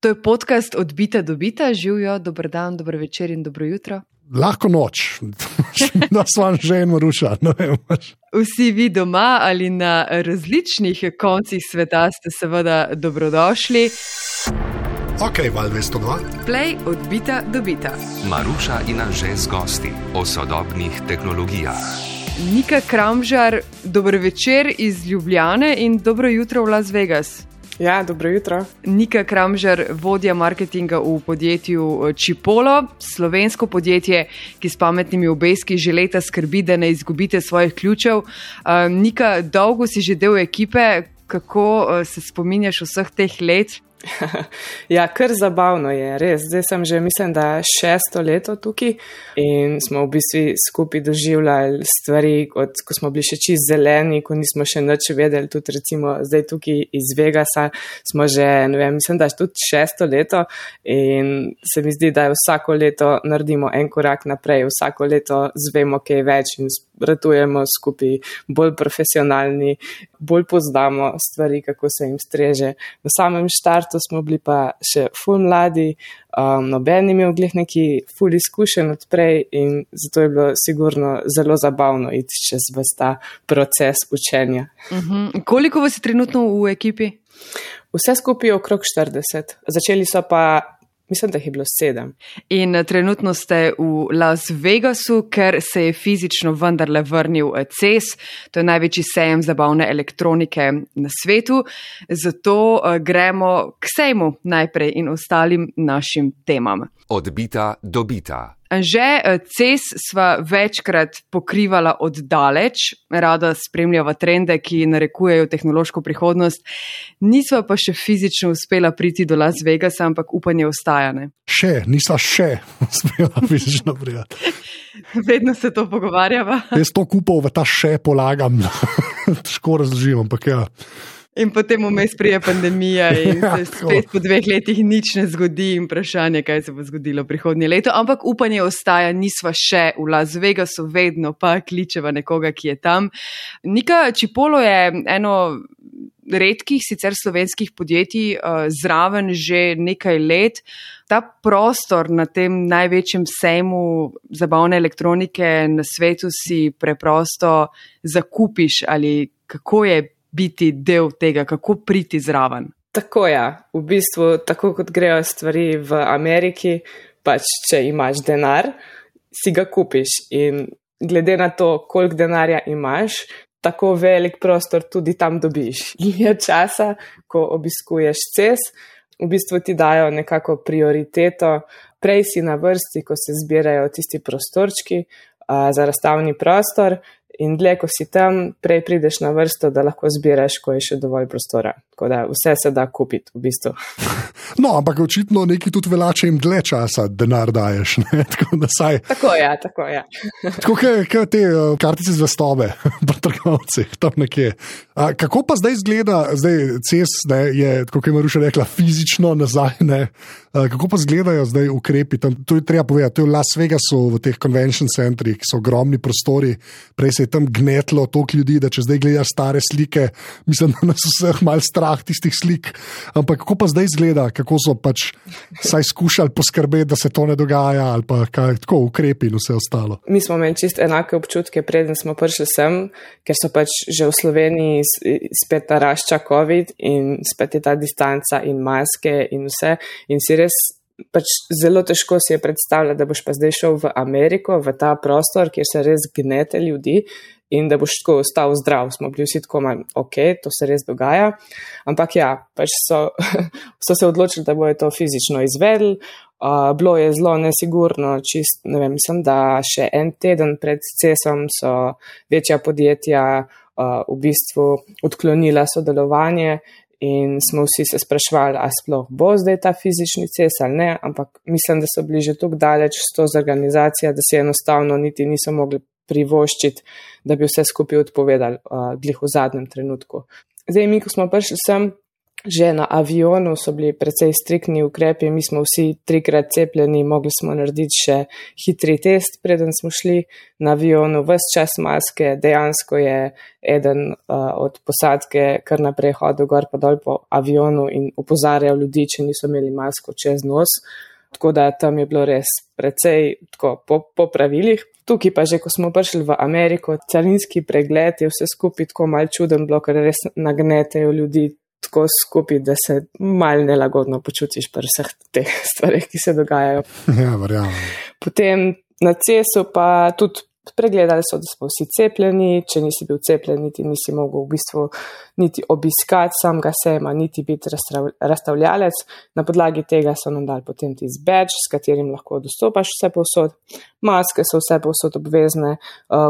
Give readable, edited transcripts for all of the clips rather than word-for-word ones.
To je podcast Od bita do bita. Živijo, dober dan, dobro večer in dobro jutro. Lahko noč, da sva že in Maruša. Vsi vi doma ali na različnih koncih sveta ste seveda dobrodošli. Ok, Val 202. Play Od bita do bita. Maruša in Anže z gosti o sodobnih tehnologijah. Nika Kramžar, dobro večer iz Ljubljane in dobro jutro v Las Vegas. Ja, dobro jutro. Nika Kramžar, vodja marketinga v podjetju Chipolo, slovensko podjetje, ki s pametnimi obeski že leta skrbi, da ne izgubite svojih ključev. Nika, dolgo si že del ekipe, kako se spominjaš vseh teh let? Ja, kar zabavno je, res. Zdaj sem že, mislim, da 6. leto tukaj in smo v bistvu skupaj doživljali stvari, ko smo bili še čist zeleni, ko nismo še nič vedeli, tudi recimo zdaj tukaj iz Vegasa smo že, ne vem, mislim, da tudi 6. leto in se mi zdi, da vsako leto naredimo en korak naprej, vsako leto zvemo kaj več in ratujemo skupaj, bolj profesionalni, bolj poznamo stvari, kako se jim streže. V samem štartu smo bili pa še ful mladi, noben imel glih neki ful izkušen odprej in zato je bilo sigurno zelo zabavno iti čez ta proces učenja. Koliko vas je trenutno v ekipi? Vse skupaj je okrog 40. Začeli so pa, mislim, da jih je bilo 7. In trenutno ste v Las Vegasu, ker se je fizično vendarle vrnil CES, to je največji sejem zabavne elektronike na svetu. Zato gremo k sejmu najprej in ostalim našim temam. Od bita do bita. Anže, CES sva večkrat pokrivala od daleč, rada spremljava trende, ki narekujejo tehnološko prihodnost. Nisva pa še fizično uspela priti do Las Vegasa, ampak upanje ostaja, ne? Nisva uspela fizično prijati. Vedno se to pogovarjava. Jaz to kupov v ta polagam, težko razložim, ampak ja. In potem vmes prije pandemija in se spet po 2 letih nič ne zgodi in vprašanje, kaj se bo zgodilo prihodnje leto. Ampak upanje ostaja, nisva še v Las Vegasu, vedno pa kličeva nekoga, ki je tam. Nika, Chipolo je eno redkih sicer slovenskih podjetij, zraven že nekaj let. Ta prostor na tem največjem sejmu zabavne elektronike na svetu si preprosto zakupiš ali kako je biti del tega, kako priti zraven? Tako ja, v bistvu tako kot grejo stvari v Ameriki, pač če imaš denar, si ga kupiš in glede na to, koliko denarja imaš, tako velik prostor tudi tam dobiš. Je časa, ko obiskuješ CES, v bistvu ti dajo nekako prioriteto, prej si na vrsti, ko se zbirajo tisti prostorčki za razstavni prostor, in dlje, ko si tam, prej prideš na vrsto, da lahko zbiraš, ko je še dovolj prostora. Tako da vse se da kupiti, v bistvu. No, ampak očitno neki tudi velače jim dlje časa denar daješ, ne? Tako da saj... Tako ja. Tako kaj te kartice zvestobe, pri trgovcih, tam nekje. Kako pa zdaj izgleda, CES, ne, je, tako je Maruša rekla, fizično nazaj, ne? Kako pa izgledajo zdaj ukrepi tam? To je treba povedati, to je v Las Vegasu, v teh convention centrih, ki so ogromni prostori, prej se je tam gnetlo toliko ljudi, da če zdaj gledaš stare slike, mislim, da nas vseh malo strah tistih slik, ampak kako pa zdaj izgleda, kako so pač saj skušali poskrbeti, da se to ne dogaja, ali pa kaj, tako ukrepi in vse ostalo. Mi smo imeli čist enake občutke, preden smo prišli sem, ker so pač že v Sloveniji spet narašča COVID in spet je ta distanca in maske in vse in si res pač zelo težko si je predstavljati, da boš pa zdaj šel v Ameriko, v ta prostor, kjer se res gnete ljudi in da boš tako ostal zdrav. Smo bili vsi tako malo, ok, to se res dogaja, ampak ja, pač so se odločili, da bojo to fizično izvedli. Bilo je zelo nesigurno, čist, ne vem, mislim, da še en teden pred CES-om so večja podjetja v bistvu odklonila sodelovanje in smo vsi se sprašvali, a sploh bo zdaj ta fizični CES ali ne, ampak mislim, da so bili že tako daleč s to z organizacijo, da si enostavno niti niso mogli privoščiti, da bi vse skupaj odpovedali glih v zadnjem trenutku. Zdaj mi, ko smo prišli sem, že na avionu so bili precej striktni ukrepi, mi smo vsi 3-krat cepljeni, mogli smo narediti še hitri test, preden smo šli na avionu, ves čas maske, dejansko je eden od posadke kar naprej hodil gor pa dol po avionu in opozarjal ljudi, če niso imeli masko čez nos. Tako da tam je bilo res precej tako po pravilih. Tukaj pa že, ko smo prišli v Ameriko, carinski pregled je vse skupaj tako mal čuden bilo, ker res nagnetejo ljudi tako skupaj, da se mal nelagodno počutiš pri vseh teh stvarih, ki se dogajajo. Ja, verjamem. Potem na CES-u pa tudi pregledali so, da smo vsi cepljeni, če nisi bil cepljen, nisi mogel v bistvu niti obiskati samega sejma, niti biti razstavljalec. Na podlagi tega so nam dali potem tisti badge, s katerim lahko dostopaš vse povsod. Maske so vse povsod obvezne,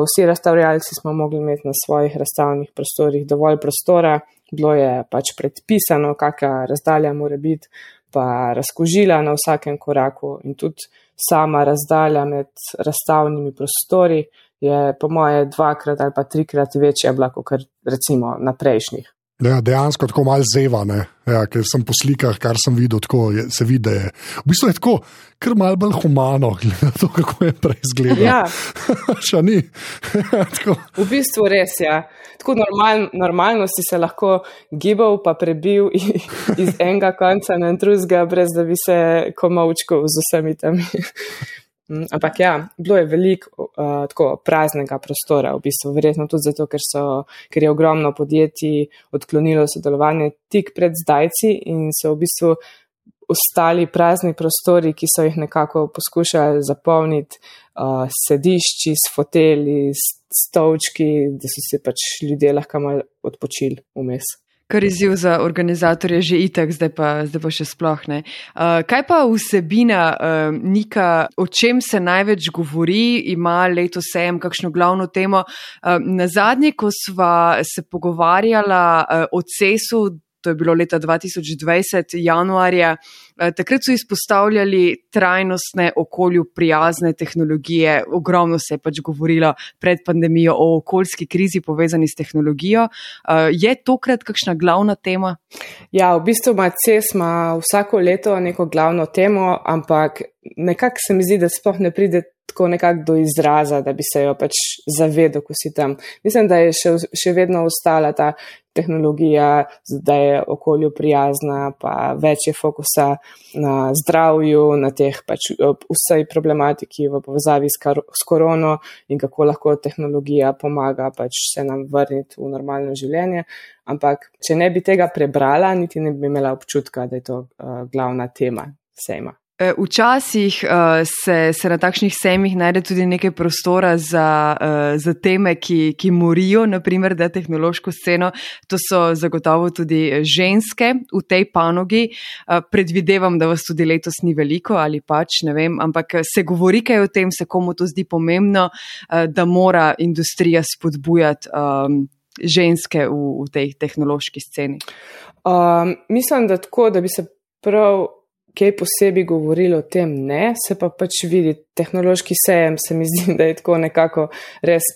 vsi razstavljalci smo mogli imeti na svojih razstavnih prostorih dovolj prostora, bilo je pač predpisano, kakšna razdalja mora biti, pa razkužila na vsakem koraku in tudi sama razdalja med razstavnimi prostori je po moje 2-krat ali pa 3-krat večja bila, kot recimo na prejšnjih. Ja, dejansko tako malo zeva, ne? Ja, ker sem po slikah, kar sem videl, tako se vidi, da je. V bistvu je tako, kar malo bolj humano, glede to, kako je prej izgledalo. Ja. Ša ni. V bistvu res, ja. Tako normalno si se lahko gibal pa prebil iz enega konca na drugega, brez da bi se komavčkal z vsemi temi. Ampak ja, bilo je veliko tako praznega prostora, v bistvu verjetno tudi zato, ker je ogromno podjetij odklonilo sodelovanje tik pred zdajci in so v bistvu ostali prazni prostori, ki so jih nekako poskušali zapolniti sedišči, s foteli, s stolčki, da so se pač ljudje lahko malo odpočili vmes. Kar izziv za organizatorje že itak, zdaj pa še sploh ne. Kaj pa vsebina, Nika, o čem se največ govori, ima letos sejem kakšno glavno temo? Nazadnje, ko sva se pogovarjala o CES-u, to je bilo leta 2020, januarja, takrat so izpostavljali trajnostne, okolju prijazne tehnologije. Ogromno se je pač govorilo pred pandemijo o okoljski krizi povezani s tehnologijo. Je tokrat kakšna glavna tema? Ja, v bistvu CES ima vsako leto neko glavno temo, ampak nekako se mi zdi, da sploh ne pride tako nekako do izraza, da bi se jo pač zavedel, ko si tam. Mislim, da je še vedno ostala ta tehnologija, da je okolju prijazna, pa več je fokusa na zdravju, na teh pač vsej problematiki v povezavi s korono in kako lahko tehnologija pomaga pač se nam vrniti v normalno življenje. Ampak, če ne bi tega prebrala, niti ne bi imela občutka, da je to glavna tema sejma. Včasih se na takšnih sejmih najde tudi nekaj prostora za teme, ki morijo, naprimer, da tehnološko sceno. To so zagotovo tudi ženske v tej panogi. Predvidevam, da vas tudi letos ni veliko ali pač, ne vem, ampak se govori kaj o tem, se komu to zdi pomembno, da mora industrija spodbujati ženske v tej tehnološki sceni. Mislim, da tako, da bi se prav kaj posebej govorili o tem, ne, se pa pač vidi, tehnološki sejem se mi zdi, da je tako nekako res,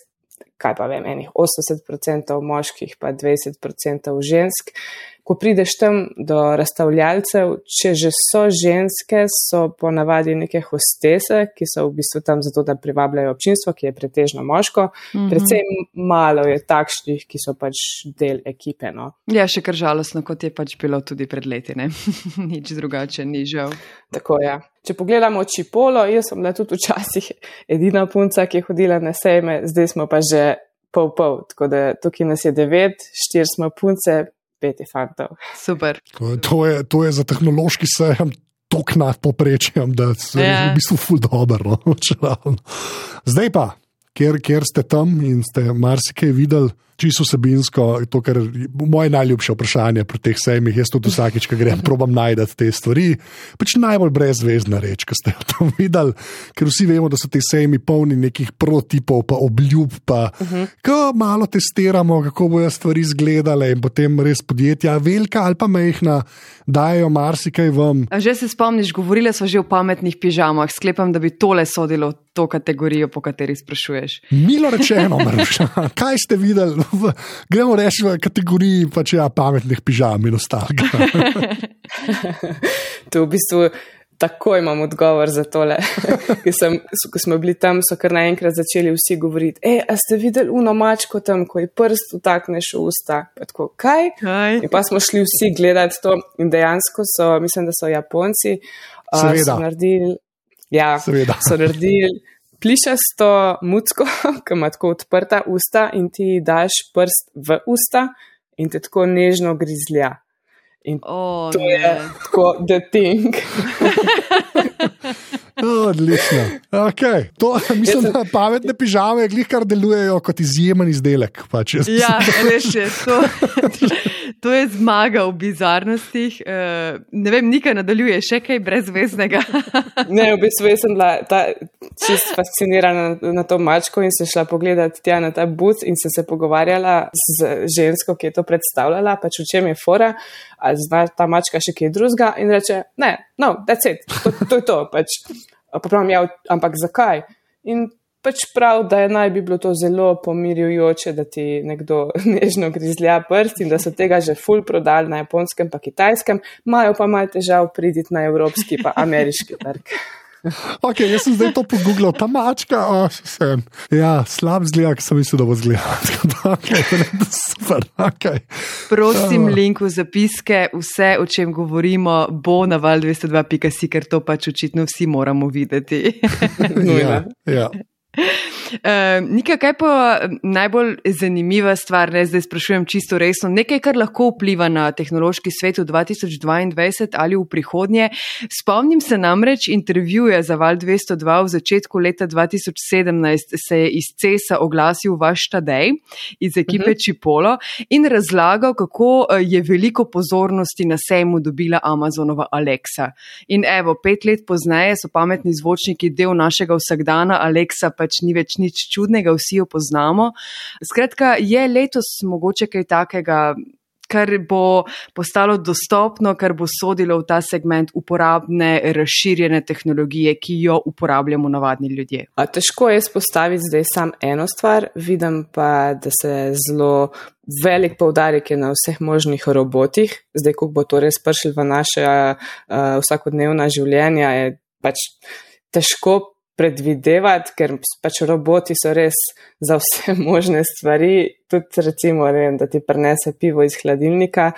kaj pa vem, 80% moških pa 20% žensk. Ko prideš tam do razstavljalcev, če že so ženske, so ponavadi neke hostese, ki so v bistvu tam zato, da privabljajo občinstvo, ki je pretežno moško. Predvsem malo je takšnih, ki so pač del ekipe. No. Ja, še kar žalostno, kot je pač bilo tudi pred leti, ne? Nič drugače ni žal. Tako, ja. Če pogledamo Čipolo, jaz sem bila tudi včasih edina punca, ki je hodila na sejme, zdaj smo pa že pol, tako da tukaj nas je 9, 4 smo punce, 5 fantov. Super. To je za tehnološki sejem tok nad poprečjem, da se je v bistvu ful dobro. Zdaj pa, ker ste tam in ste marsikaj videli, čisto vsebinsko, to, kar je moje najljubše vprašanje pri teh sejmih, jaz tudi vsakič, ko grem, probam najdati te stvari, pač najbolj brezvezna reč, ko ste jo tam videli, ker vsi vemo, da so te sejmi polni nekih prototipov, pa obljub, pa ko malo testiramo, kako bojo stvari izgledale in potem res podjetja, velika ali pa majhna, dajo marsikaj vam. A že se spomniš, govorile so že o pametnih pižamah, sklepam, da bi tole sodilo to kategorijo, po kateri sprašuješ. Milo rečeno, Maruša, kaj ste videli gremo reči v kategoriji pač pametnih pižam in ostalega. To v bistvu takoj imam odgovor za tole. Ko smo bili tam, so kar naenkrat začeli vsi govoriti, a ste videli uno mačko tam, ko je prst utakneš v usta? Pa tako, kaj? In pa smo šli vsi gledati to in dejansko so, mislim, da so Japonci, so naredili, so naredili plišasto mucko, ki ima tako odprta usta in ti daš prst v usta in te tako nežno grizlja. In to je tako the thing. Odlično. Okay. To, mislim, da pametne pižame glih kar delujejo kot izjemen izdelek. Pač. Ja, res je. To je zmaga v bizarnostih. Ne vem, Nika nadaljuje še kaj brezveznega. Ne, v bistvu sem bila čist fascinirana na to mačko in sem šla pogledati tja na ta booth in sem se pogovarjala z žensko, ki je to predstavljala, pač v čem je fora, ali zna ta mačka še kaj drugega in reče, no, that's it, to je to, pač. Pa pravim, ampak zakaj? In pač prav, da naj bi bilo to zelo pomirjujoče, da ti nekdo nežno grizlja prst in da so tega že ful prodali na japonskem pa kitajskem, imajo pa malo težav priditi na evropski pa ameriški trg. Ok, jaz sem zdaj to pogooglal, ta mačka, slab zgleda, ki sem mislil, da bo zgleda. Super, ok. Prosim, link v zapiske, vse, o čem govorimo, bo na val202.si, ker to pač očitno vsi moramo videti. Ja. Nika, kaj pa najbolj zanimiva stvar, zdaj sprašujem čisto resno, nekaj, kar lahko vpliva na tehnološki svet v 2022 ali v prihodnje. Spomnim se namreč intervjuja za Val 202 v začetku leta 2017 se je iz CES-a oglasil vaš Tadej iz ekipe Chipolo in razlagal, kako je veliko pozornosti na sejmu dobila Amazonova Alexa. In evo, 5 let pozneje so pametni zvočniki del našega vsakdana, Alexa pač ni več nič čudnega, vsi jo poznamo. Skratka, je letos mogoče kaj takega, kar bo postalo dostopno, kar bo sodilo v ta segment uporabne, razširjene tehnologije, ki jo uporabljamo navadni ljudje. Težko je izpostaviti zdaj sam eno stvar, vidim pa, da se zelo velik poudarek je na vseh možnih robotih. Zdaj, ko bo to res prišlo v naše vsakodnevna življenja, je pač težko predvidevati, ker pač roboti so res za vse možne stvari, tudi recimo, da ti prinese pivo iz hladilnika.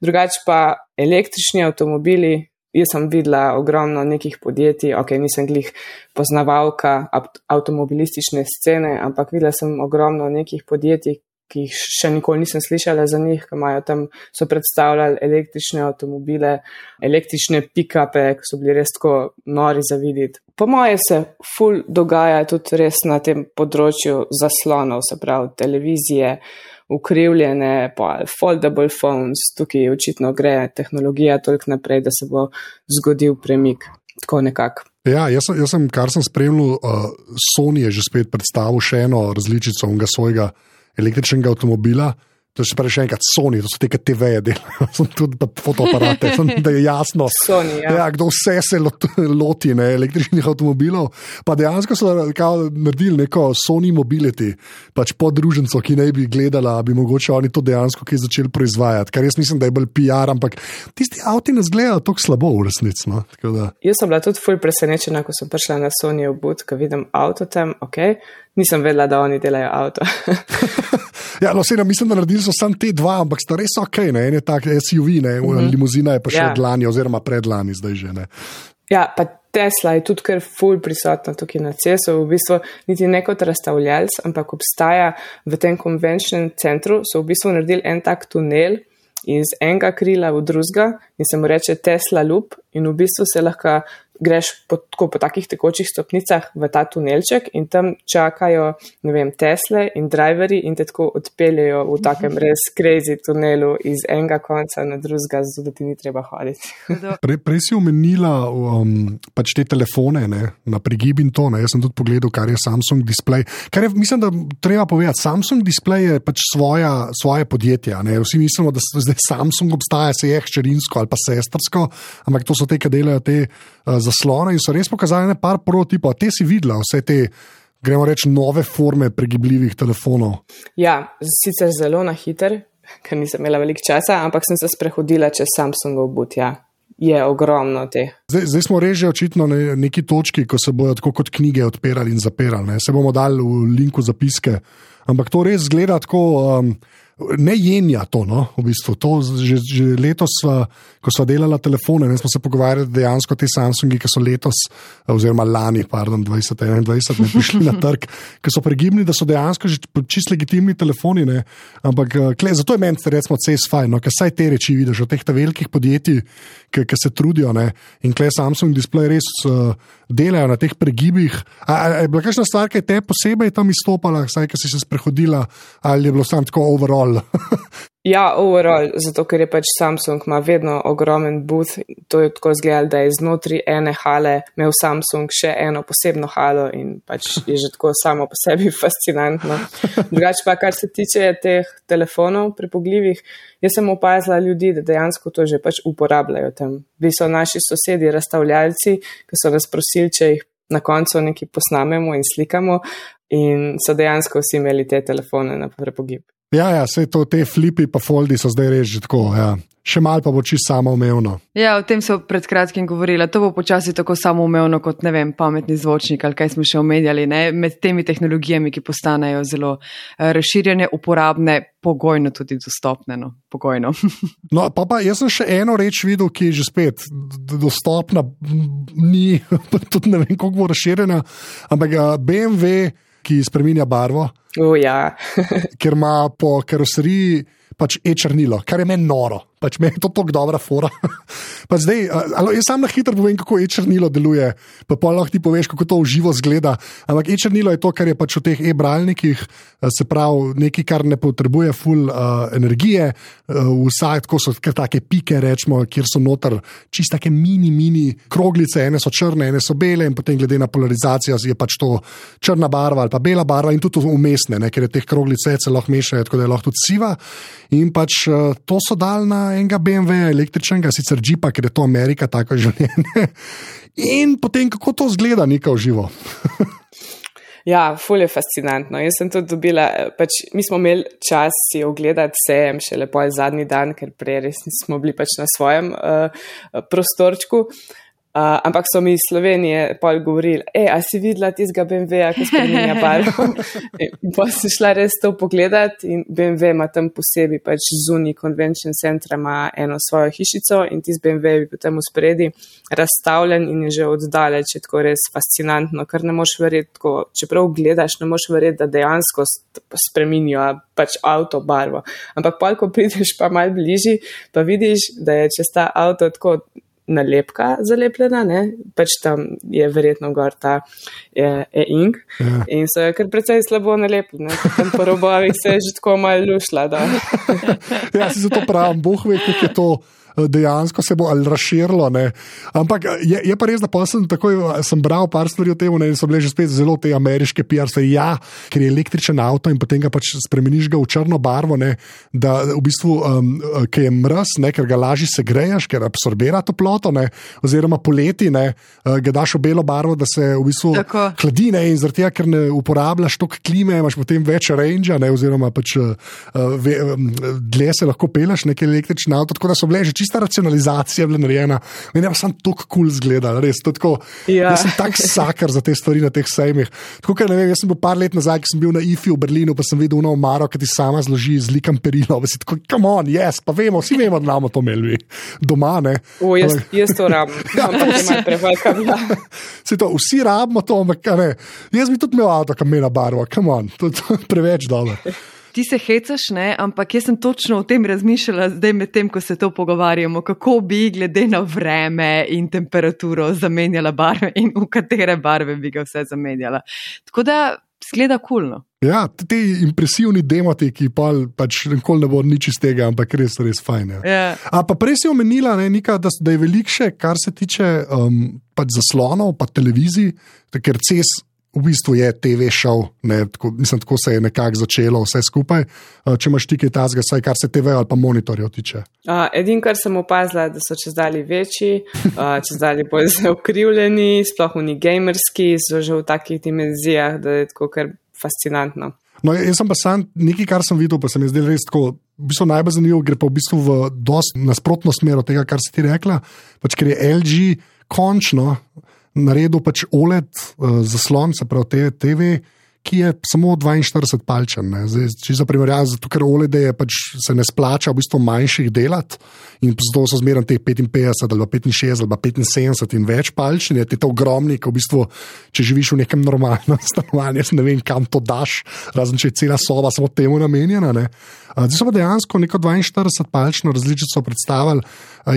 Drugače pa električni avtomobili, jaz sem videla ogromno nekih podjetij, nisem glih poznavalka avtomobilistične scene, ampak videla sem ogromno nekih podjetij, ki jih še nikoli nisem slišala za njih, ki imajo tam, so predstavljali električne avtomobile, električne pick-upe, ki so bili res tako nori za videti. Po moje se ful dogaja tudi res na tem področju zaslonov, se pravi televizije, ukrivljene, foldable phones, tukaj očitno gre tehnologija toliko naprej, da se bo zgodil premik, tako nekako. Ja, jaz sem, kar sem spremljal, Sony je že spet predstavil še eno različico onega svojega električnega avtomobila, to je še enkrat Sony, to so te TV-je delajo, tudi fotoaparate, da je jasno, Sony, kdo vse se loti električnih avtomobilov, pa dejansko so naredili neko Sony Mobility, pač podruženco, ki ne bi gledala, bi mogoče oni to dejansko kaj začeli proizvajati, kar jaz mislim, da je bolj PR, ampak tisti avti nas gledajo tako slabo v resnici. No? Jaz sem bila tudi ful presenečena, ko sem prišla na Sonyjev booth, ko vidim avto tam, nisem vedela, da oni delajo avto. Ja, mislim, da naredili so samo te dva, ampak sta res en je tak SUV, limuzina je pa še od lani oziroma predlani zdaj že. Ja, pa Tesla je tudi kar ful prisotna tukaj na CES-u, v bistvu niti ne kot razstavljalc, ampak obstaja v tem konvenčnem centru, so v bistvu naredili en tak tunel iz enega krila v drugega in se mu reče Tesla Loop in v bistvu se lahko greš po takih tekočih stopnicah v ta tunelček in tam čakajo, Tesle in driverji in te tako odpeljejo v takem res crazy tunelu iz enega konca na drugega, zato da ti ni treba hoditi. Prej si omenila pač te telefone na prigib in to, jaz sem tudi pogledal, kar je Samsung display. Kar je, mislim, da treba povedati, Samsung display je pač svoje podjetje. Vsi mislimo, da zdaj Samsung obstaja, se je hčerinsko ali pa sestrsko, ampak to so te, ki delajo te zaslone in so res pokazali par prototipov. Te si videla, vse te gremo reči, nove forme pregibljivih telefonov? Ja, sicer zelo na hiter, ker nisem imela veliko časa, ampak sem se sprehodila čez Samsungov but, ja. Je ogromno teh. Zdaj smo reži očitno na neki točki, ko se bojo tako kot knjige odpirali in zapirali. Ne? Se bomo dali v linku zapiske, ampak to res zgleda tako... Ne jenja to, no, v bistvu. To že letos, ko smo delali telefone, ne, smo se pogovarjali dejansko te Samsungi, ki so letos, oziroma lani, 2021, prišli na trg, ki so pregibni, da so dejansko že čist legitimni telefoni, ne, ampak zato je meni, recimo, fajn, no, ker saj te reči vidiš od teh velikih podjetij, ki se trudijo, ne, in kle Samsung Display res delajo na teh pregibih. Je bila kakšna stvar, ki je te posebej tam izstopala, saj, ki si se sprehodila, ali je bilo samo tako overall? Ja, overall, zato ker je pač Samsung ima vedno ogromen booth, to je tako izgledalo, da je znotri ene hale imel Samsung še eno posebno halo in pač je že tako samo po sebi fascinantno. Drugače pa, kar se tiče teh telefonov pripogljivih, jaz sem opazila ljudi, da dejansko to že pač uporabljajo tam. Vi so naši sosedi razstavljalci, ki so nas prosili, če jih na koncu nekaj posnamemo in slikamo in so dejansko vsi imeli te telefone na prepogib. Ja, vse to, te flipi pa foldi so zdaj res že tako, ja. Še malo pa bo čisto samoumevno. Ja, o tem so pred kratkim govorila. To bo počasi tako samoumevno kot, ne vem, pametni zvočnik ali kaj smo še omenjali, ne, med temi tehnologijami, ki postanejo zelo razširjene, uporabne, pogojno tudi dostopne, no, pogojno. No, pa jaz sem še eno reč videl, ki je že spet dostopna, ni, tudi ne vem, koliko bo razširjena, ampak BMW, ki spreminja barvo, ja. ker ima po karoseriji pač e-črnilo, kar je meni noro. Pač meni je to tako dobra fora. Pa zdaj, jaz sam na hitro povem, kako e-črnilo deluje, pa lahko ti poveš, kako to v živo zgleda. Ampak e-črnilo je to, kar je pač v teh e-bralnikih, se pravi nekaj, kar ne potrebuje ful energije, vsaj tako so kar take pike, rečemo, kjer so noter čist take mini kroglice, ene so črne, ene so bele in potem glede na polarizacijo je pač to črna barva ali pa bela barva in tudi umestne, ne, ker je teh kroglice se lahko mešajo, tako da je lahko tudi siva. In pač to so dali na enega BMW električnega, sicer Jeepa, ker je to Amerika, tako življenje. In potem, kako to zgleda nekaj v živo. Ja, ful je fascinantno. Jaz sem tudi dobila, pač mi smo imeli čas si ogledati sejem še lepo zadnji dan, ker prej res smo bili pač na svojem prostorčku. Ampak so mi iz Slovenije pol govorili, a si videla tistega BMW-ja, ki spreminja barvo? Pa sem šla res to pogledati in BMW ima tam posebej pač zunaj convention centra ima eno svojo hišico in tisti BMW je potem v spredi razstavljen in je že oddaleč, je tako res fascinantno, ker ne moš verjeti, tako, čeprav gledaš, ne moš verjeti, da dejansko spremenijo pač avto barvo. Ampak pol, ko prideš pa malo bližji, pa vidiš, da je čez ta avto tako nalepka zalepljena, ne? Pač tam je verjetno gor ta e-ink in so je kar precej slabo nalepljene, tam po robovih se je že tako malo lušla. Da. Ja, si zato pravim, Bog ve, kako je to dejansko se bo ali razširilo, ne. Ampak je pa res, da pa sem bral par stvari o tem, ne, in so bile že spet zelo te ameriške PR stvari, ja, ker je električen avto in potem ga pač spremeniš ga v črno barvo, ne, da v bistvu, ker je mraz, ne, ker ga lažje segreješ, ker absorbira toploto, ne, oziroma poleti, ne, ga daš v belo barvo, da se v bistvu hladi, ne, in zaradi tega, ker ne uporabljaš toliko klime, imaš potem več range, ne, oziroma pač dlje se lahko peleš neki električni avto, tako da so bile že čista racionalizacija bila narejena. Meni pa sem tako cool zgledal, res. Tako, jaz sem tak sakar za te stvari na teh sejmih. Tako, ker ne vem, jaz sem bil par let nazaj, ki sem bil na IFI v Berlinu, pa sem videl ono omaro, ki ti sama zloži z likom perilo. Pa si tako, come on, yes, pa vemo, vsi vemo, da imamo to imeli doma, ne. Jaz to rabim. Vsi rabimo to, ampak ne. Jaz bi tudi imel avto, kam mena barva, come on, to je preveč dobro. Ti se hecaš, ne, ampak jaz sem točno o tem razmišljala zdaj med tem, ko se to pogovarjamo, kako bi glede na vreme in temperaturo zamenjala barve in v katere barve bi ga vse zamenjala. Tako da zgleda kulno. Ja, te impresivni demoti, ki pač nikoli ne bo nič iz tega, ampak res fajn. Ja. A pa prej si omenila, ne, Nika, da je veliko še, kar se tiče pač zaslonov, pa televizij, ker CES v bistvu je TV show, tako se je nekako začelo vse skupaj. Če imaš ti kaj tazga, saj kar se TV ali pa monitorjev tiče. Edin, kar sem opazila, da so čezdalje večji, čezdalje bolj zaokrivljeni, sploh oni gamerski, so že v takih dimenzijah, da je tako kar fascinantno. No, jaz sem pa sam nekaj, kar sem videl, pa se mi je zdelo res tako, v bistvu najbolj zanimivo, gre pa v bistvu v dosti nasprotno smer od tega, kar si ti rekla, pač ker je LG končno naredil pač OLED zaslon, se pravi TV, ki je samo 42 palčen. Če za primerjavo, zato ker OLED je pač se ne splača v bistvu manjših delati in zato so zmeraj teh 55 ali 65 ali 75 in več palčen, je to ogromni, ko v bistvu, če živiš v nekem normalnem stanovanju, ne vem, kam to daš, razen če je cela soba samo temu namenjena. Zdaj so pa dejansko neko 42 palčno različico predstavili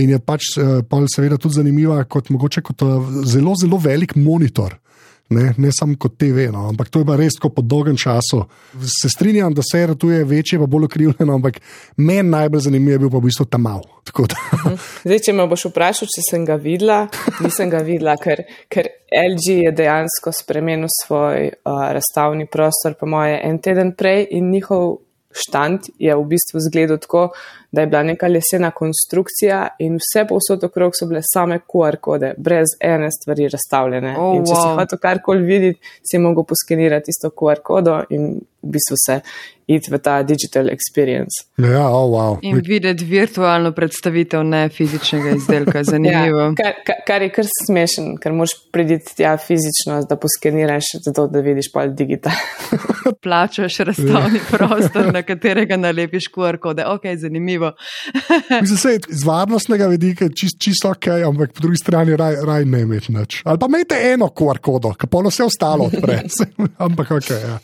in je pač pol seveda tudi zanimiva kot mogoče kot zelo, zelo velik monitor. Ne samo kot TV, no. Ampak to je pa res tako po dolgem času. Se strinjam, da se ratuje večje, pa bolj okrivljeno, ampak meni najbolj zanimiv je bil pa v bistvu ta mal. Zdaj, če me boš vprašal, če sem ga videla, nisem ga videla, ker LG je dejansko spremenil svoj razstavni prostor, po moje, en teden prej in njihov štand je v bistvu izgledal tako, da je bila neka lesena konstrukcija in vse povsod okrog so bile same QR kode, brez ene stvari razstavljene. In če si hotel karkoli videti, si mogel poskenirati isto QR kodo in v bistvu se iti v ta digital experience. Ja, wow. In videti virtualno predstavitev ne fizičnega izdelka, zanimivo. Ja, kar je kar smešen, ker moraš priditi tja fizično, da poskeniraš, zato da vidiš pol digital. Plačaš razstavni prostor, na katerega nalepiš QR kode. Ok, zanimivo. Mislim se, iz varnostnega vidika čisto ok, ampak po drugi strani raj ne imeti nič. Ali pa imejte eno QR kodo, ki pa vse ostalo odpre. Ampak ok, ja.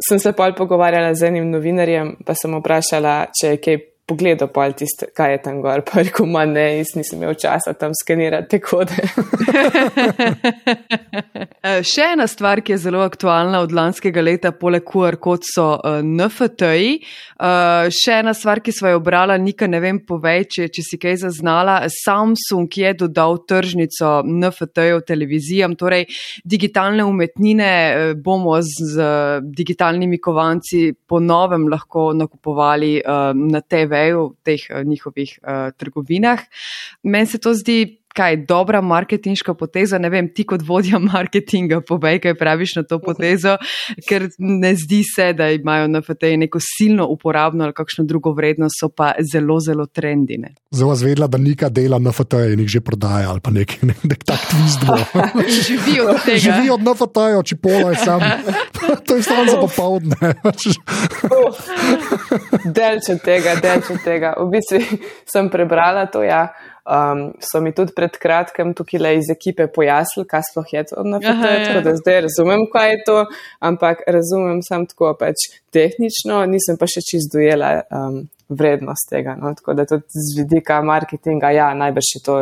Sem se pol pogovarjala z enim novinarjem, pa sem vprašala, če je kaj pogledal pol tiste, kaj je tam gor, pa rekel, ne, jaz nisem imel časa tam skenirati te kode. Še ena stvar, ki je zelo aktualna od lanskega leta, poleg QR kod so NFT-ji. Še ena stvar, ki sva jo obrala, Nika, ne vem, povej, če si kaj zaznala. Samsung je dodal tržnico NFT-jev televizijam, torej digitalne umetnine bomo z digitalnimi kovanci po novem lahko nakupovali na TV v teh njihovih trgovinah. Meni se to zdi dobra marketinška poteza, ne vem, ti kot vodja marketinga povej, kaj praviš na to potezo, ker ne zdi se, da imajo NFT-ji neko silno uporabno ali kakšno drugo vrednost, so pa zelo, zelo trendine. Zdaj vas vedela, da Nika dela NFT-je in jih že prodaja ali pa nek tak twist bo. Živijo od tega. Živijo od NFT-jev, Čipola je sam. To je stvarno za popoldne. Delč od tega. V bistvu sem prebrala to, ja. So mi tudi pred kratkem tukaj iz ekipe pojasnili, kaj sploh je to NFT, tako da zdaj razumem, kaj je to, ampak razumem sam tako pač tehnično, nisem pa še čisto dojela vrednost tega. No? Tako da tudi z vidika marketinga, ja, najbrž je to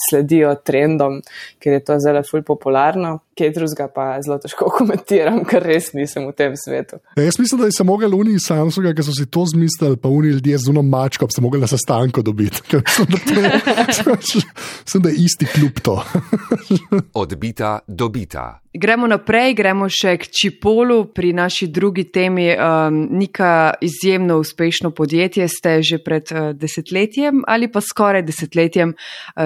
sledijo trendom, ker je to zelo ful popularno, kaj drugega pa zelo težko komentiram, ker res nisem v tem svetu. Ja, jaz mislim, da so mogli oni iz Samsunga, ki so si to zmislili, pa oni ljudje z uno mačko, pa so mogli na sestanku dobiti. Mislim, da je isti klub to. Odbita, dobita. Gremo naprej, gremo še k Čipolu pri naši drugi temi. Nika, izjemno uspešno podjetje ste že pred desetletjem ali pa skoraj desetletjem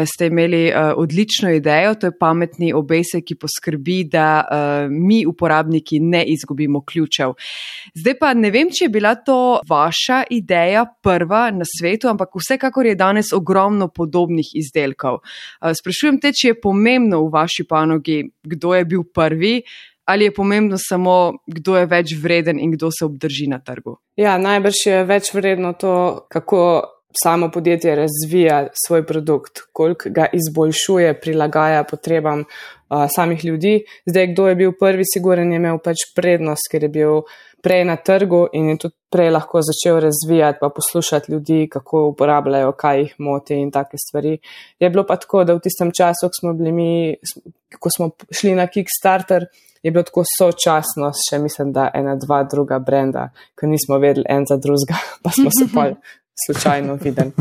ste imeli odlično idejo, to je pametni obesek, ki poskrbi, da mi uporabniki ne izgubimo ključev. Zdaj pa ne vem, če je bila to vaša ideja prva na svetu, ampak vsekakor je danes ogromno podobnih izdelkov. Sprašujem te, če je pomembno v vaši panogi, kdo je bil prvi, ali je pomembno samo, kdo je več vreden in kdo se obdrži na trgu? Ja, najbrž je več vredno to, kako samo podjetje razvija svoj produkt, koliko ga izboljšuje, prilagaja potrebam samih ljudi. Zdaj, kdo je bil prvi, siguren je imel pač prednost, ker je bil prej na trgu in je tudi prej lahko začel razvijati pa poslušati ljudi, kako uporabljajo, kaj jih moti in take stvari. Je bilo pa tako, da v tistem času, ko smo šli na Kickstarter, je bilo tako sočasno, še mislim, da 1-2 druga brenda, ko nismo vedeli en za drugega, pa smo se pa slučajno videli.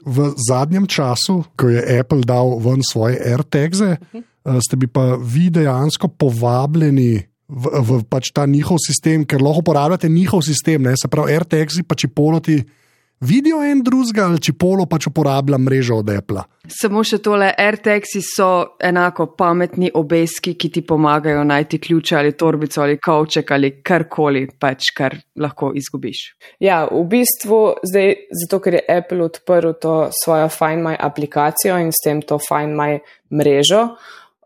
V zadnjem času, ko je Apple dal ven svoje AirTagse, ste bi pa vi dejansko povabljeni v pač ta njihov sistem, ker lahko uporabljate njihov sistem, ne? Se pravi, RTX-i pa Chipoloti vidijo en drugega ali Chipolo pač uporablja mrežo od Apple. Samo še tole, RTX-i so enako pametni obeski, ki ti pomagajo najti ključe ali torbico ali kovček ali karkoli, pač kar lahko izgubiš. Ja, v bistvu zdaj, zato ker je Apple odprl to svojo Find My aplikacijo in s tem to Find My mrežo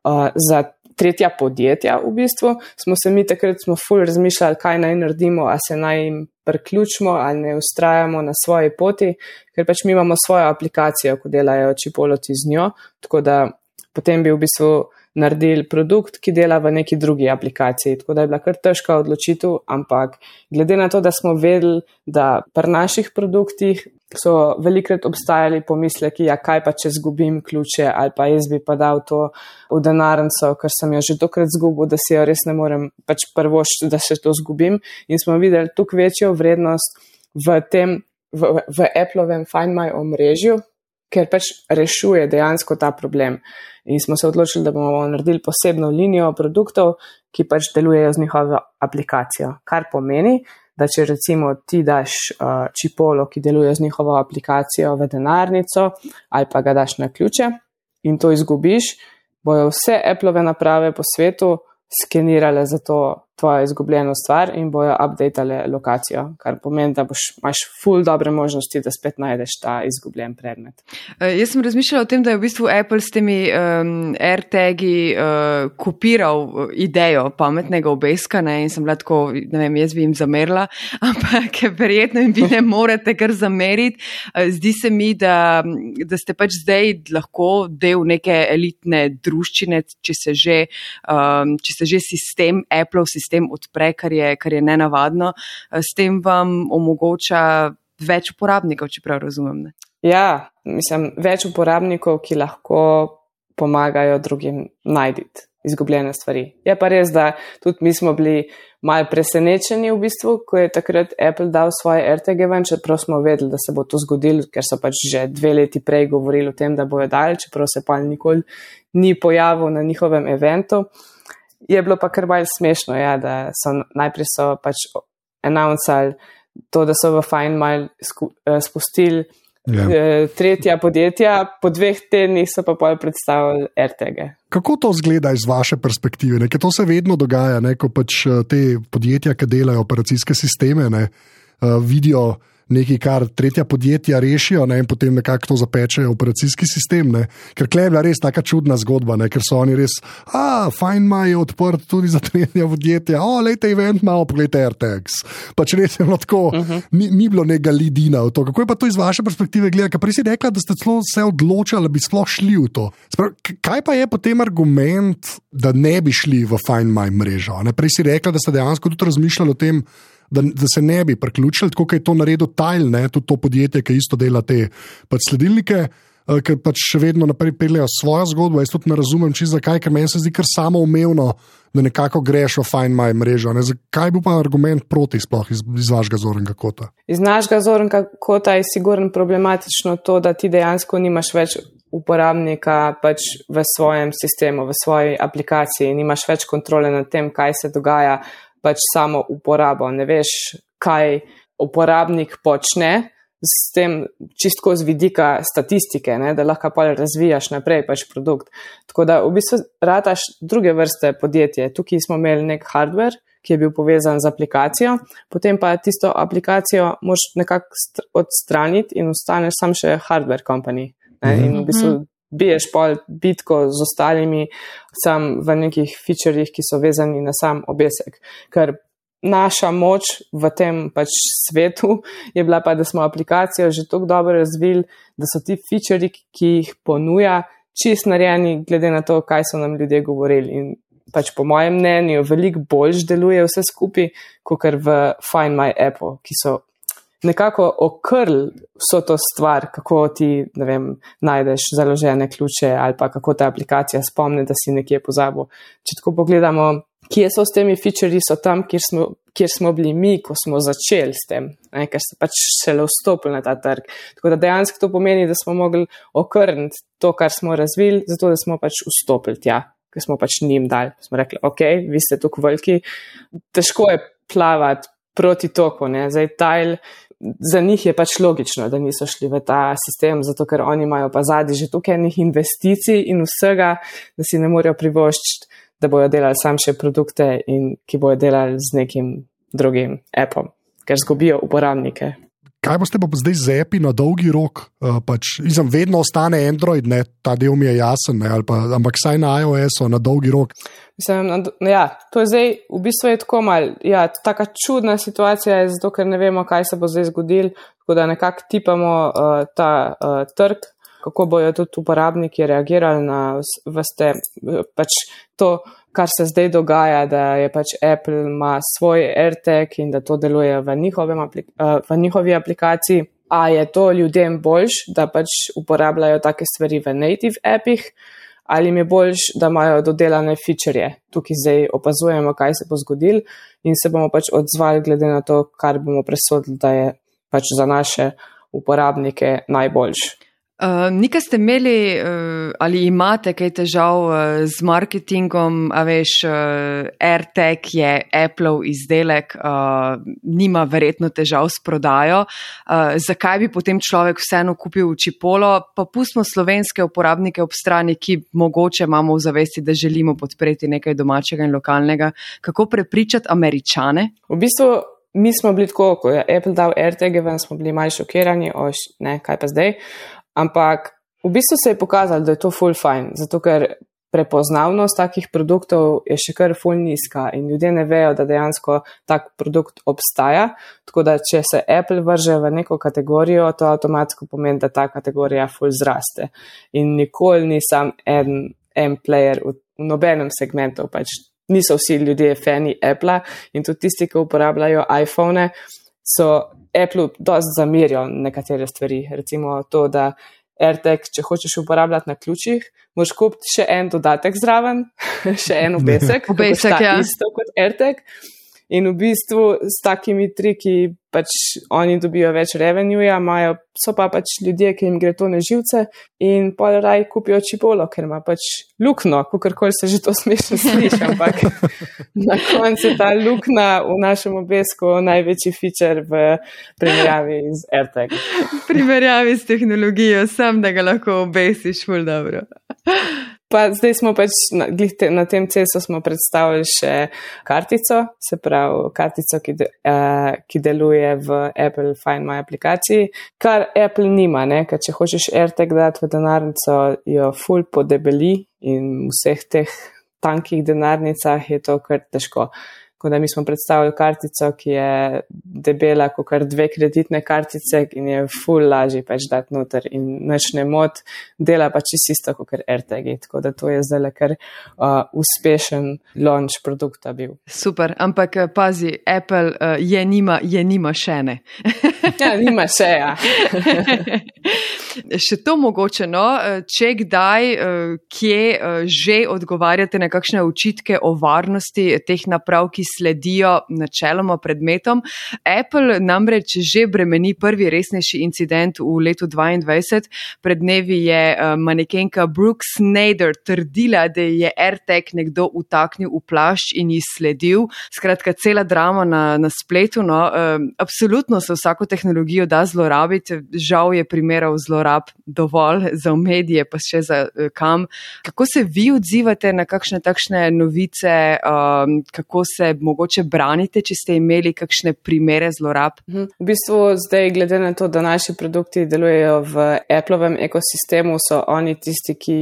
za tretja podjetja v bistvu, smo se mi takrat ful razmišljali, kaj naj naredimo, a se naj jim priključimo ali ne ustrajamo na svoji poti, ker pač mi imamo svojo aplikacijo, ko delajo Chipoloti z njo, tako da potem bi v bistvu naredili produkt, ki dela v neki drugi aplikaciji, tako da je bila kar težka odločitev, ampak glede na to, da smo vedeli, da pri naših produktih so velikrat obstajali pomisleki, ja kaj pa če zgubim ključe ali pa jaz bi pa dal to v denarnico, ker sem jo že dokrat zgubil, da si jo res ne morem pač prvoščiti, da se to zgubim in smo videli tukaj večjo vrednost v Applovem Find My omrežju, ker pač rešuje dejansko ta problem. In smo se odločili, da bomo naredili posebno linijo produktov, ki pač delujejo z njihovo aplikacijo. Kar pomeni, da če recimo ti daš Chipolo, ki deluje z njihovo aplikacijo v denarnico ali pa ga daš na ključe in to izgubiš, bojo vse Appleove naprave po svetu skenirale za to tvojo izgubljeno stvar in bojo updatale lokacijo, kar pomeni, da imaš ful dobre možnosti, da spet najdeš ta izgubljen predmet. Jaz sem razmišljala o tem, da je v bistvu Apple s temi AirTagi kopiral idejo pametnega obeska, ne, in sem bila tako, ne vem, jaz bi jim zamerila, ampak verjetno jim vi ne morete kar zameriti. Zdi se mi, da ste pač zdaj lahko del neke elitne druščine, če se že sistem, Appleov sistem odpre, kar je nenavadno, s tem vam omogoča več uporabnikov, če prav razumem. Ne? Ja, mislim, več uporabnikov, ki lahko pomagajo drugim najditi izgubljene stvari. Je pa res, da tudi mi smo bili malo presenečeni v bistvu, ko je takrat Apple dal svoje AirTage ven, čeprav smo vedeli, da se bo to zgodilo, ker so pač že 2 leti prej govorili o tem, da bojo dali, čeprav se pa nikoli ni pojavil na njihovem eventu. Je bilo pa kar malo smešno, ja, da so najprej pač announcali to, da so v Find My spustili tretja podjetja, po 2 tednih so pa pol predstavili AirTage. Kako to izgleda iz vaše perspektive? Ne? Ker to se vedno dogaja, ne? Ko pač te podjetja, ki delajo operacijske sisteme, ne? Vidijo nekaj, kar tretja podjetja rešijo, ne, in potem nekako to zapečejo operacijski sistem, ne. Ker tukaj je bila res taka čudna zgodba, ne, ker so oni res, Find My je odprt tudi za tretja podjetja, lejte event malo, pogledajte AirTags. Pač res je bilo tako, ni bilo nekega lidina v to. Kako je pa to iz vaše perspektive gleda? Ker prej si rekla, da ste celo se odločali, da bi sploh šli v to. Kaj pa je potem argument, da ne bi šli v Find My mrežo? Ne? Prej si rekla, da ste dejansko tudi razmišljali o tem, da se ne bi priključili, tako kot je to naredil Tile, ne, tudi to podjetje, ki isto dela te pač sledilnike, ki pač še vedno naprej peljejo svojo zgodbo. Jaz tudi ne razumem čisto zakaj, ker meni se zdi kar samoumevno, da nekako greš v Find My mrežo. Ne. Kaj bi pa argument proti sploh iz vašega zornega kota? Iz našega zornega kota je sigurno problematično to, da ti dejansko nimaš več uporabnika pač v svojem sistemu, v svoji aplikaciji, nimaš več kontrole nad tem, kaj se dogaja, pač samo uporabo. Ne veš, kaj uporabnik počne s tem čistko z vidika statistike, ne, da lahko pa razvijaš naprej pač produkt. Tako da v bistvu rataš druge vrste podjetje. Tukaj smo imeli nek hardware, ki je bil povezan z aplikacijo, potem pa tisto aplikacijo moraš nekako odstraniti in ostaneš sam še hardware company. Ne, in v bistvu biješ pol bitko z ostalimi sam v nekih featurejih, ki so vezani na sam obesek. Ker naša moč v tem pač svetu je bila pa, da smo aplikacijo že tako dobro razvili, da so ti featureji, ki jih ponuja, čist narejeni glede na to, kaj so nam ljudje govorili. In pač po mojem mnenju veliko bolj deluje vse skupaj, kot v Find My appu, ki so nekako okrl vso to stvar, kako ti, ne vem, najdeš založene ključe ali pa kako ta aplikacija spomne, da si nekje pozabil. Če tako pogledamo, kje so s temi featurji, so tam, kjer smo bili mi, ko smo začeli s tem, ne, ker se pač šele vstopili na ta trg. Tako da dejansko to pomeni, da smo mogli okrniti to, kar smo razvili, zato da smo pač vstopili tja, ki smo pač njim dali. Smo rekli, ok, vi ste tukaj veliki, težko je plavati proti toku, ne. Zdaj Tile, za njih je pač logično, da niso šli v ta sistem, zato ker oni imajo pa zadnji že tukaj enih investicij in vsega, da si ne morejo privoščiti, da bojo delali sam še produkte in ki bojo delali z nekim drugim appom, ker zgubijo uporabnike. Kaj boste pa zdaj z appi na dolgi rok? Vedno ostane Android, ne, ta del mi je jasen, ne, ampak saj na iOS-u na dolgi rok. Mislim, to je zdaj, v bistvu je tako malo, taka čudna situacija je zato, ker ne vemo, kaj se bo zdaj zgodil, tako da nekako tipamo ta trg, kako bojo tudi uporabniki reagirali na pač to, kar se zdaj dogaja, da je pač Apple ima svoj AirTag in da to deluje v njihovi aplikaciji. A je to ljudem boljš, da pač uporabljajo take stvari v native appih, ali jim je boljš, da imajo dodelane featurje. Tukaj zdaj opazujemo, kaj se bo zgodil in se bomo pač odzvali glede na to, kar bomo presodili, da je pač za naše uporabnike najboljš. Nikaj ste imeli ali imate kaj težav z marketingom, a veš, AirTag je Appleov izdelek, nima verjetno težav s prodajo. Zakaj bi potem človek vseeno kupil Chipolo? Pa pustimo slovenske uporabnike ob strani, ki mogoče imamo v zavesti, da želimo podpreti nekaj domačega in lokalnega. Kako prepričati Američane? V bistvu mi smo bili tako, ko je Apple dal AirTag, smo bili malo šokirani, kaj pa zdaj. Ampak v bistvu se je pokazalo, da je to ful fajn, zato ker prepoznavnost takih produktov je še kar ful nizka in ljudje ne vejo, da dejansko tak produkt obstaja. Tako da, če se Apple vrže v neko kategorijo, to avtomatsko pomeni, da ta kategorija ful zraste. In nikoli ni sam en player v nobenem segmentu, pač niso vsi ljudje fani Apple in tudi tisti, ki uporabljajo iPhone, so Apple dosti zamerijo nekatere stvari. Recimo to, da AirTag, če hočeš uporabljati na ključih, moraš kupiti še en dodatek zraven, še en obesek, isto kot AirTag. In v bistvu s takimi triki pač oni dobijo več revenueja, so pa pač ljudje, ki jim gre to na živce in pol raj kupijo Chipolo, ker ima pač lukno, kakorkoli se že to smešno sliši, ampak na koncu je ta lukna v našem obesku največji feature v primerjavi z AirTag. V primerjavi s tehnologijo, sam da ga lahko obesiš, ful dobro. Pa zdaj smo pač na tem cesu smo predstavili še kartico, se pravi kartico, ki deluje v Apple Find My aplikaciji, kar Apple nima, ne, ker če hočeš AirTag dati v denarnico, jo ful podebeli in v vseh teh tankih denarnicah je to kar težko. Tako da mi smo predstavili kartico, ki je debela kot kar 2 kreditne kartice in je ful lažji pač dati noter in nič ne mot, dela pa čisto kot kar AirTagi. Tako da to je zdaj kar uspešen launch produkta bil. Super, ampak pazi, Apple je nima še ne. Ja, nima še, ja. Še to mogoče, no, če kdaj, kje že odgovarjate na kakšne očitke o varnosti teh naprav, ki sledijo načeloma predmetom. Apple namreč že bremeni prvi resnejši incident v letu 2022. Pred dnevi je manekenka Brooke Snyder trdila, da je AirTag nekdo vtaknil v plašč in ji sledil. Skratka, cela drama na spletu. No. Absolutno se vsako tehnologijo da zlorabiti. Žal je primerov zlorab dovolj za medije, pa še za kam. Kako se vi odzivate na kakšne takšne novice, kako se mogoče branite, če ste imeli kakšne primere zlorab? V bistvu zdaj, glede na to, da naši produkti delujejo v Applovem ekosistemu, so oni tisti, ki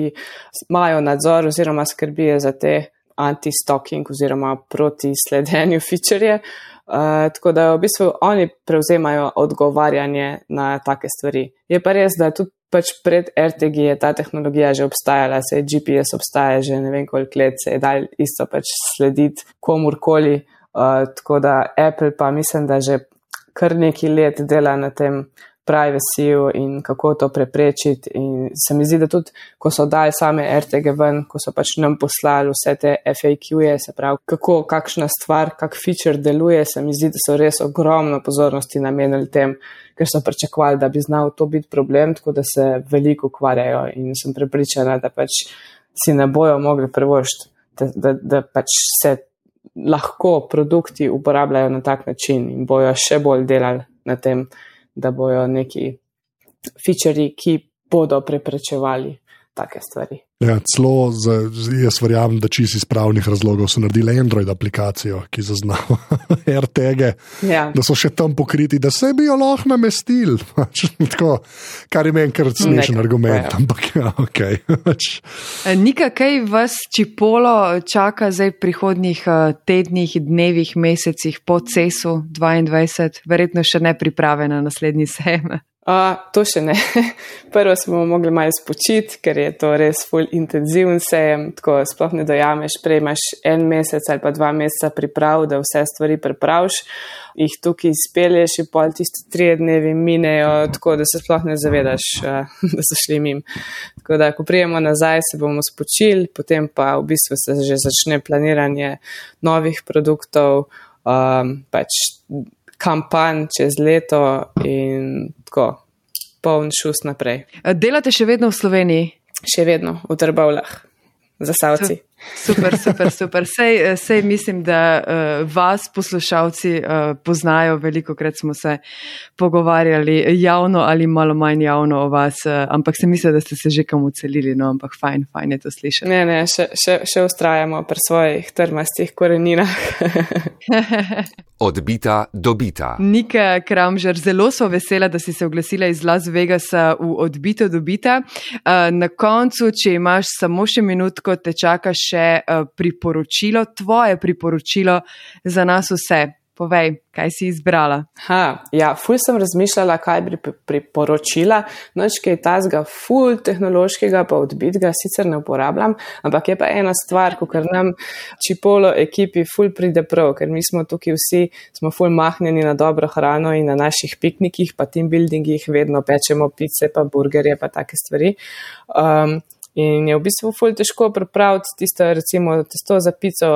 imajo nadzor oziroma skrbijo za te anti-stalking oziroma proti sledenju feature. Tako da v bistvu oni prevzemajo odgovarjanje na take stvari. Je pa res, da tudi pač pred AirTagi je ta tehnologija že obstajala, se je GPS obstaja že ne vem koliko let, se je dal isto pač slediti komurkoli, tako da Apple pa mislim, da že kar nekaj let dela na tem privacyju in kako to preprečiti in se mi zdi, da tudi, ko so dali same AirTage ven, ko so pač nam poslali vse te FAQ-je, se pravi, kakšna stvar, kak feature deluje, se mi zdi, da so res ogromno pozornosti namenili tem, ker so pričakovali, da bi znal to biti problem, tako da se veliko ukvarjajo in sem prepričana, da pač si ne bojo mogli privoščiti, da pač se lahko produkti uporabljajo na tak način in bojo še bolj delali na tem, da bojo neki featurji, ki bodo preprečevali take stvari. Ja, celo jaz verjamem, da čisto iz pravnih razlogov so naredili Android aplikacijo, ki zaznava AirTage, da so še tam pokriti, da se bi jo lahko namestili. Tako, kar je meni kar smešen argument, ampak okej. Nika, kaj vas Chipolo čaka zdaj v prihodnjih tednih, dnevih, mesecih po CES-u 22? Verjetno še ne priprave na naslednji sejem. To še ne. Prvo smo mogli malo spočiti, ker je to res ful intenziven sejem, tako sploh ne dojameš, prej imaš 1 mesec ali pa 2 meseca priprav, da vse stvari pripraviš, jih tukaj izpelješ in pol tisti 3 dnevi minejo, tako da se sploh ne zavedaš, da so šli mim. Tako da, ko prijemo nazaj, se bomo spočili, potem pa v bistvu se že začne planiranje novih produktov, pač kampanj čez leto in tako, poln šus naprej. Delate še vedno v Sloveniji? Še vedno, v Trbovljah, Zasavci. Super. Sej mislim, da vas poslušalci poznajo, velikokrat smo se pogovarjali javno ali malo manj javno o vas, ampak se mislim, da ste se že kam ucelili, no, ampak fajn je to slišati. Ne, še ustrajamo pri svojih trmastih koreninah. Odbita, dobita. Nika Kramžar, zelo so vesela, da si se oglasila iz Las Vegasa v Odbito, dobita. Na koncu, če imaš samo še minutko, te čaka še priporočilo, tvoje priporočilo za nas vse. Povej, kaj si izbrala? Ful sem razmišljala, kaj bi priporočila. Noč kaj tazga ful tehnološkega, pa Odbitga sicer ne uporabljam, ampak je pa ena stvar, ko kar nam Chipolo ekipi ful pride prav, ker mi smo tukaj vsi, smo ful mahnjeni na dobro hrano in na naših piknikih, pa team buildingih vedno pečemo pice, pa burgerje, pa take stvari. In je v bistvu ful težko pripraviti tisto, recimo, testo za pico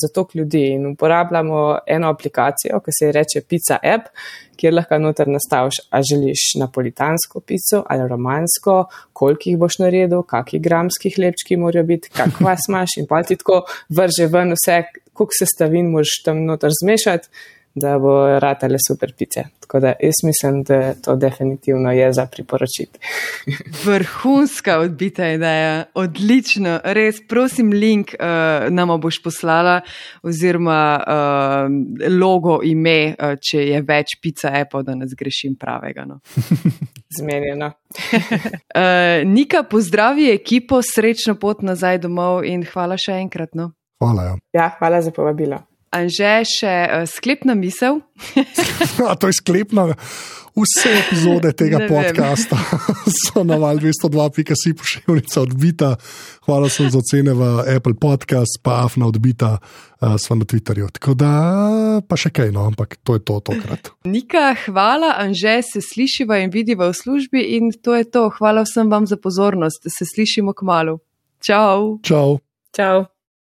za toliko ljudi in uporabljamo eno aplikacijo, ki se reče Pizza App, kjer lahko noter nastaviš, a želiš napolitansko pico ali romansko, koliko jih boš naredil, kakih gramskih hlebčki morajo biti, kak vas imaš in pa ti tako vrže ven vse, koliko sestavin moraš tam noter zmešati, da bo ratale super pice. Tako da jaz mislim, da to definitivno je za priporočiti. Vrhunska odbita ideja, odlično, res, prosim link nama boš poslala oziroma logo, ime, če je več Pizza Appov, da ne zgrešim pravega. No. Zmenjeno. Nika, pozdravi ekipo, srečno pot nazaj domov in hvala še enkrat. No. Hvala. Ja, hvala za povabilo. Anže, še sklepna misel? To je sklepna. Vse epizode tega podcasta so na val202.si pošiljnica Odbita. Hvala sem za ocene v Apple Podcast, pa Afna Odbita, sva na Twitterju. Tako da pa še kaj, no, ampak to je to tokrat. Nika, hvala, Anže, se slišiva in vidiva v službi in to je to. Hvala vsem vam za pozornost. Se slišimo kmalu. Čau. Čau. Čau.